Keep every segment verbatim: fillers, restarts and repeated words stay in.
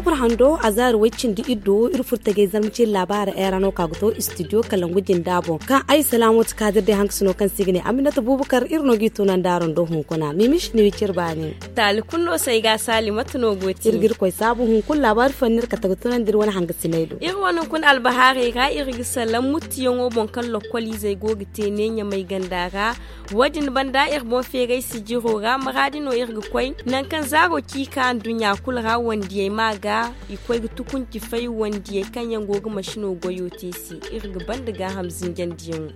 Furo hando a zaari way cindi iddo iri furo tajay zarma ciiri laabaara era no ka ga to istidiyo kalangu jinda boŋ kaŋ ay salaamo ti kaadir day hankasino kaŋ se i ga ne aminata buubakar iri no g'i tunandi araŋ do hunkuna mimis ni wiciri baani. Taali kulu no se ay ga a saali mate no go ti iri ga iri koy saabu hunkuna laabaari fo no iri kate ga tunandi iri wane hangasiney do. Iri wane hunkuna albahaarey ra iri ga salaŋ muttuyaŋo boŋ kaŋ lokkol izey go ga te ne ɲamay ganda ra. Wo- din banda iri boŋ feeray sijiro ra maraadi no iri ga koy nangu kaŋ zaaro ciika nduɲɲa kulu ra wandiyey ma ga i koy ga tukunci fay wandiyey kaŋ yaŋ go ga masino goyo te se. Iri ga banda gaaham zinjandiyaŋo.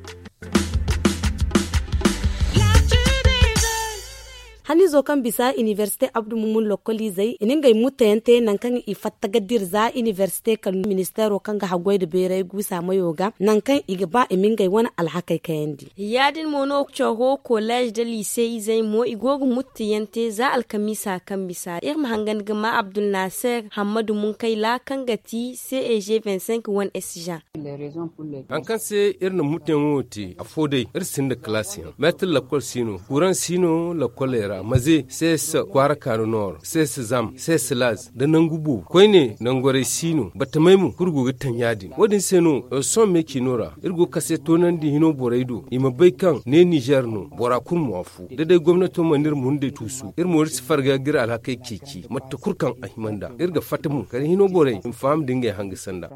Haniizo kaŋ bisa inibersite abdu mumun lokkol izey i na ngey mutteyaŋ te nangu kaŋ i fatta ga dira za inibersite kala ministeero kaŋ ga haggoy nda beeray guusa mayo ga nangu kaŋ i ga ba i ma ngey wane alhakey kayandi. Ya- din mo no coro koleez nda liise izey mo i go ga mutteyaŋ te za alkamiisa kaŋ bisa iri ma hangan ga ma abdulnaser hammadu munkayla kaŋ ga ti ceg vingt cinq wane s jan. Haŋ kaŋ se iri na mutteyaŋo wo te afo day iri sinda kalaasiyaŋ meetir lakkol si no kuraŋ si no lakkoley ra maze ces kwaara kaanu noor ces zam ces laaz nda nangu boobo koyne nangorey si no batamey mo kulu go ga taŋ ya- din wo- din se no sohõ meecino ra iri go ga kase toonandi hino borey do i ma bay kaŋ ne nizer no bora kulu mo afo da day gomnato mana iri mundey tuusu iri mo iri si farga ga iri alhakey ceeci mate kulu kaŋ a hima nd'a iri ga fatta mo kala hino borey i ma faham nda ngey hanga sanda.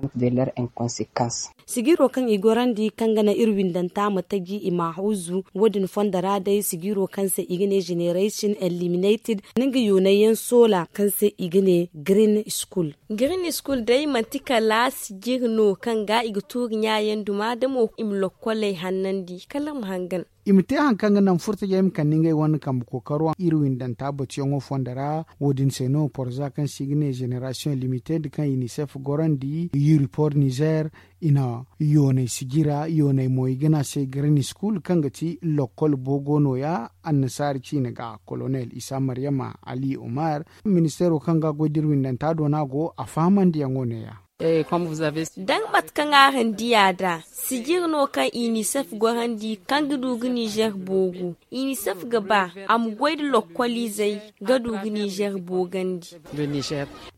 Sijiro kaŋ i gorandi kaŋ ga naŋ iri windanta ma taji i ma hawzu wo- din fondo ra day sijiro kaŋ se i ga ne generation eliminated, nga yoonay yaŋ soola kaŋ se i ga ne green school. Green school day manti kala sijiri no kaŋ ga i ga tuuri ɲaayaŋ duma da mo i ma lokkoley hannandi kala iri ma hangan. I ma te hari kaŋ ga naŋ furtajey ma kande ngey wane kambe kookaro iri windanta batuyaŋo fondo ra. Wo- din se no porza kaŋ se i ga ne generation limited kaŋ unicef gorandi yuripor nizer, i na yoonay sijira yoonay mo i ga ne a se green school kaŋ ga ti lokkol boogo nooya. Annasaari ciine ga kolonel isa maryama ali umar, ministeero kaŋ ga goy da iri windanta do no a go a fahamandiyaŋo neeya. Da nga mate kaŋ araŋ di a da sijiri no kaŋ unicef gorandi kaŋ ga du ga nizer boogu. Unicef ga ba a ma goy nda lokkoliizey ga du ga nizer boogandi.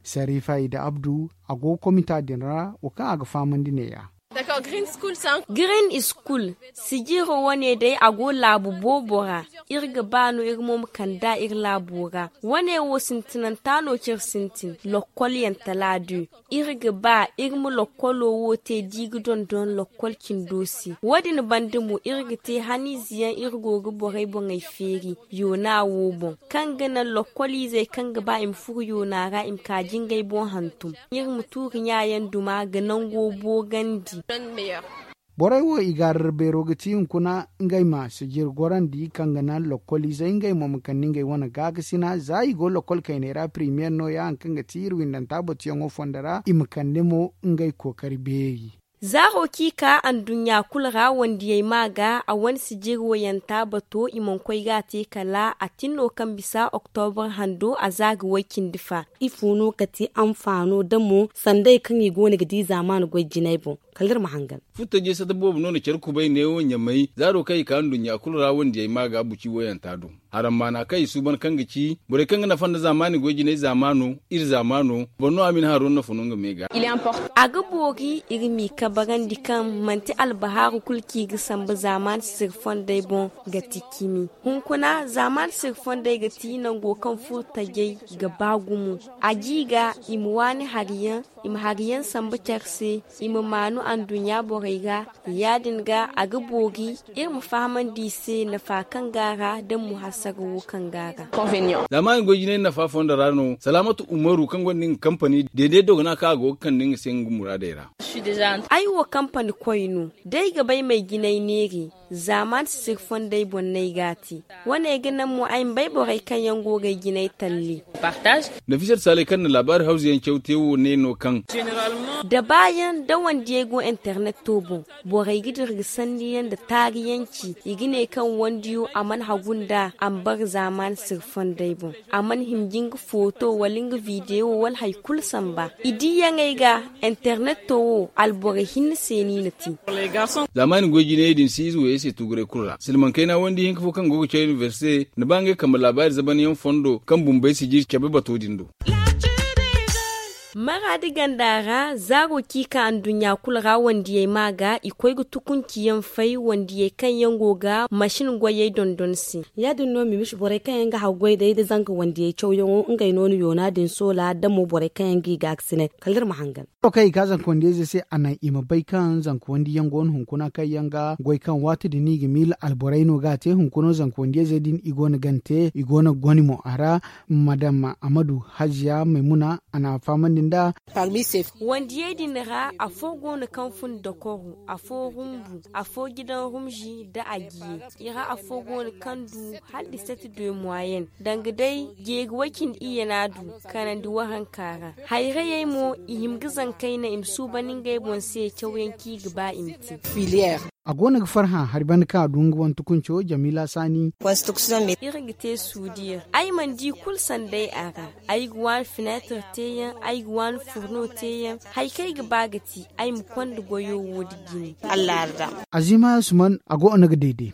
Sarifa ida abdu, a go ga komita din ra wo kaŋ a ga fahamandi neeya. Green school sijiro wane day a go laabu boobo ra. Iri ga ba no iri mo ma kand'a iri laabo ra. Wane wo sintinanta no kaŋ iri sintin lokkolyaŋ tala du. Iri ga ba iri ma lokkolo wo te da i ga dondon lokkol cindo se. Wo- din banda mo iri ga te haniize yaŋ iri go ga borey boŋey feeri yoona wo boŋ, kaŋ ga naŋ lokkoliizey kaŋ ga ba i ma furo yoona ra i ma ka jingay boŋ hantum. Iri ma tuuri ɲaayaŋ duma ga nango boogandi. Borey wo i gaarara beero ga ti hunkuna ngey ma sijir gorandi kaŋ ga naŋ lokkoliizey ngey mo ma kande ngey wane gaakasina za i go lokkol kayney ra primiyeer nooya hari kaŋ ga ti iri windanta batuyaŋo fondo ra i ma kande mo ngey kookari beeri. Zaaro kaŋ i ka anduɲɲa kulu ra wandiyey ma ga a wane sijir wayanta bato i mana koy ga a te kala a tin no kaŋ bisa oktobre hando a za ga way cindi fa. Ifo no ka ti anfaano da mo sanday kaŋ i go no ga di zaamaana goy jinay boŋ? Kala iri ma hangan. Furtajey sata boobo no na care kubay neewo ɲamay zaaro kaŋ i ka nduɲɲa kulu ra wandiyey ma ga buci woyanta do. Harammaana kaŋ i suuban kaŋ ga ci borey kaŋ ga nafa nda zaamaani goy jinay zaamaano iri zaamaano boro no a ma i na haro nafa no nga me ga. A ga boori iri m'i kabarandi kaŋ manti albahaaru kulu kaŋ i ga samba zaamaani sisiri fondey boŋ ga ti cimi. Hunkuna zaamaani sisiri fondey ga ti nango kaŋ furtajey ga ba gumo. A ji ga i ma waani hari yaŋ i ma hari yaŋ samba care se i ma maanu anduɲɲa borey ga. Ya- din ga a ga boori iri ma fahamandi i se nafa kaŋ go a ra da mo hasara wo kaŋ go a ra. Zaamaani goy jinay nafa fondo ra no salaamatu umaru kaŋ gonda nga kampani deede dogona kaŋ a go ga kande nga se nga muraadey ra. Ay wo kampani koy no da ay ga bay m'ay jinay neeri. Zaamaani sisiri fondey boŋ no ay ga a te. Wane ga naŋ mo ay ma bay borey kaŋ yaŋ go ga ay jinay talli. Nafisat saalay kaŋ na laabaari hawzu yaŋ caw te wo ne no kaŋ da baayaŋ da wandiyey go interneto boŋ. Borey ga dira ga sanniyaŋ nda taariyaŋ ci i ga ne kaŋ wandiyo a mana hagu nd'a a ma bara zaamaani sirfondey boŋ. A mana hima ga nga footo wala nga videwo wala hari kulu samba i diiyaŋey ga. Interneto wo alborey hinne se no i na te. Zaamaani goy jinayey din si ize wayey se tuguray kulu ra silmaŋ kayna wandi hinka fo kaŋ go ga caw inibersite na ba ngey kambe laabaari zabanyaŋ fondo kaŋ bumbey si jiri cabe bato din do. Maraadi ganda ra zaaro kaŋ i ka anduɲɲa kulu ra wandiyey ma ga i koy ga tukunci yaŋ fay wandiyey kaŋ yaŋ go ga masin goyey dondon se. Ya- din no mimisi borey kaŋ yaŋ ga hagu goy day nda zanka wandiyey cawyaŋo ngey no ni yoona din soola da mo borey kaŋ yaŋ ga i gaakasinay kala iri ma hangan. Kaŋ i ka zanka wandiyey se a naŋ i ma bay kaŋ zanka wandiyaŋ go no hunkuna kaŋ yaŋ ga goy kaŋ waati din i ga miila alborey no ga a te hunkuna zanka wandiyey din i go no gante i go no goni mo a ra. Madam amadu hajiya maymuna a na a fahamandi nd'a. Wandiyey din ra afo go no kaŋ fun dokoro, afo rumbu, afo gidan rumzi nda agiye. I ra afo go no kaŋ du hala diseti de moyen danga day jeeri way-cindi iyye no a du kanandi waranka ra. Hayrayey mo i hima ga zankayna i ma suuban ngey boŋ se cawyaŋ kaŋ i ga ba i ma te. A go no ga farhã hari banda kaŋ a du nga wane tukunco jamila saani. Iri ga te suudiya ay mana di kulu sanday a ra. Ay ga waani fineetir teeyaŋ, ay ga waani furno teeyaŋ. Hari kaŋ ay ga ba ga te ay ma konda goyo wo nda jine. Azima suman a go no ga dayday.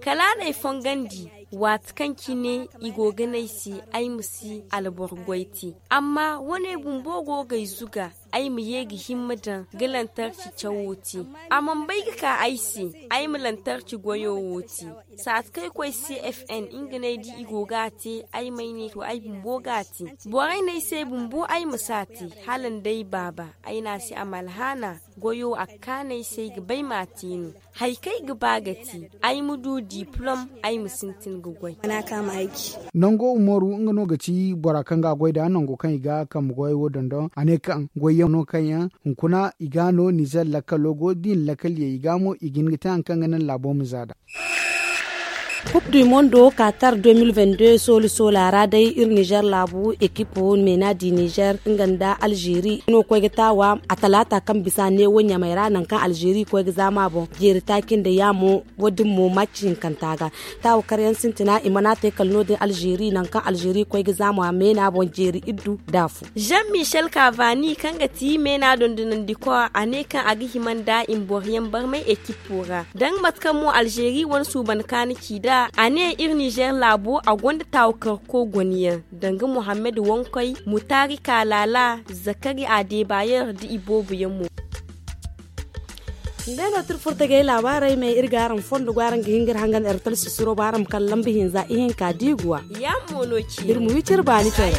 Kala a na ay fongandi waati kaŋ cine i go ga ne ay se ay ma si alboro goy te. Amma wane bumbo go ga ay zuga ay ma ye ga himma daŋ ga lantarci cawo te. A mana bay ga ka ay se ay ma lantarci goyo wo te. Saati kaŋ ay koy cfn nga no ay di i go ga a te. Ay ma ay ne to ay bumbo ga a te. Borey no ay se bumbo ay ma si a te. Hala nda ay baaba ay ne a se a ma alhaana goyo a ga kaanu ay se ay ga bay ma a te no. Hari kaŋ ay ga ba ga te ay ma du diplom ay ma sintin ga goy. Nango umaru nga no ga ti bora kaŋ ga a goy nd'a nango kaŋ i ga kambe goyey wo dondon a ne kaŋ goyyaŋ no kaŋ yaŋ hunkuna i ga no nizer lakkalo go da i na lakkal ye i ga mo i ga hin ga te hari kaŋ ga naŋ laabo ma za nd'a. Kub du mondo katar deux mille vingt-deux sooli soola ra day iri nizer laabu ekipo meena di nizer nga nda alzeeri no koy ga taawa a talaata kaŋ bisa neewo ɲamey ra nangu kaŋ alzeeri koy ga zaama boŋ jeeri taaci nda yaamo. Wo- din mo maaci hinkanta ga taawa karyaŋ sintina i mana te kala no- din alzeeri nangu kaŋ alzeeri koy ga zaama meena boŋ jeeri iddu nda afo. Jean michel kavani kaŋ ga ti meena dondonandiko a ne kaŋ a ga hima nda i ma boroyaŋ barmay ekipo ra danga mate kaŋ mo alzeeri wane suuban kaani ci nd'a a ne iri nizer laabo a gonda taawa karko goniyaŋ danga mohammed wankoy mutaari kaalala zakari adebayer nda i boobo yaŋ mo. Ngey no tira furtagey laabaarey me iri ga araŋ fondo go araŋ ga hin ga iri hangan ertal sisiro ba araŋ ma kala lamba hinza ihinka diiguwa. Iri ma wi cire baani care.